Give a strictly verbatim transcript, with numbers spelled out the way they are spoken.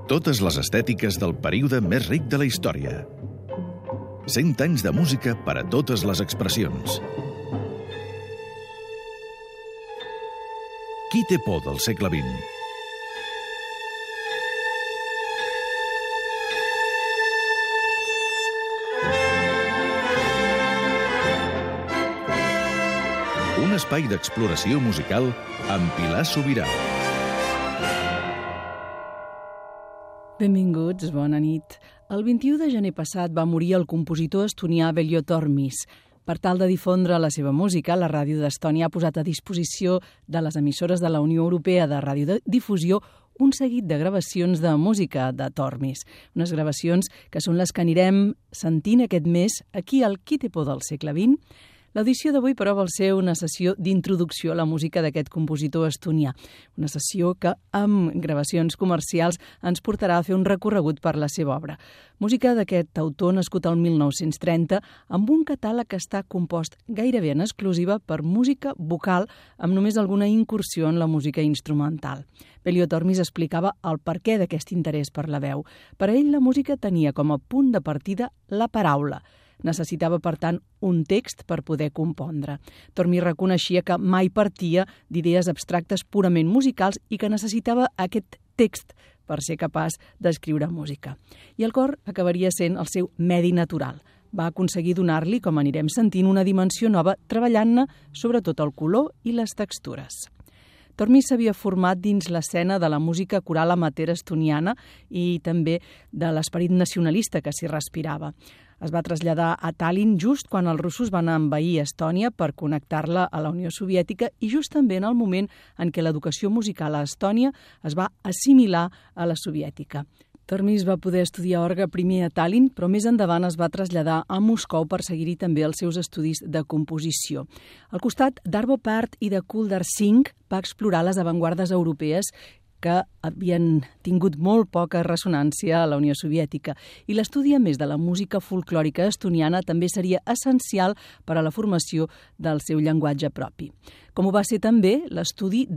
Totes les estètiques del període més ric de la història. Cent anys de música per a totes les expressions. Qui té por del segle vint? Un espai d'exploració musical amb Pilar Sobirà. Benvinguts, bona nit. El vint-i-u de gener passat va morir el compositor estonià Veljo Tormis. Per tal de difondre la seva música, la ràdio d'Estònia ha posat a disposició de les emissores de la Unió Europea de Radiodifusió un seguit de gravacions de música de Tormis. Unes gravacions que són les que anirem sentint aquest mes aquí al Qui té por del segle vint. L'audició d'avui, però, vol ser una sessió d'introducció a la música d'aquest compositor estonià. Una sessió que, amb gravacions comercials, ens portarà a fer un recorregut per la seva obra. Música d'aquest autor nascut al mil nou-cents trenta, amb un catàleg que està compost gairebé en exclusiva per música vocal, amb només alguna incursió en la música instrumental. Veljo Tormis explicava el perquè d'aquest interès per la veu. Per a ell, la música tenia com a punt de partida la paraula. Necessitava, per tant, un text per poder compondre. Tormis reconeixia que mai partia d'idees abstractes purament musicals i que necessitava aquest text per ser capaç d'escriure música. I el cor acabaria sent el seu medi natural. Va aconseguir donar-li, com anirem sentint, una dimensió nova, treballant-ne sobretot el color i les textures. Tormis s'havia format dins l'escena de la música coral amateur estoniana i també de l'esperit nacionalista que s'hi respirava. Es va traslladar a Tallinn just quan els russos van envair Estònia per connectar-la a la Unió Soviètica i just també en el moment en què l'educació musical a Estònia es va assimilar a la soviètica. Tormis va poder estudiar orgue primer a Tallinn, però més endavant es va traslladar a Moscou per seguir-hi també els seus estudis de composició. Al costat d'Arvo Pärt i de Kuldar Singh va explorar les avantguardes europees que havien tingut molt poca ressonància a la Unió Soviètica. I l'estudi, a més de la música folclòrica estoniana, també seria essencial per a la formació del seu llenguatge propi. Com ho va ser també l'estudi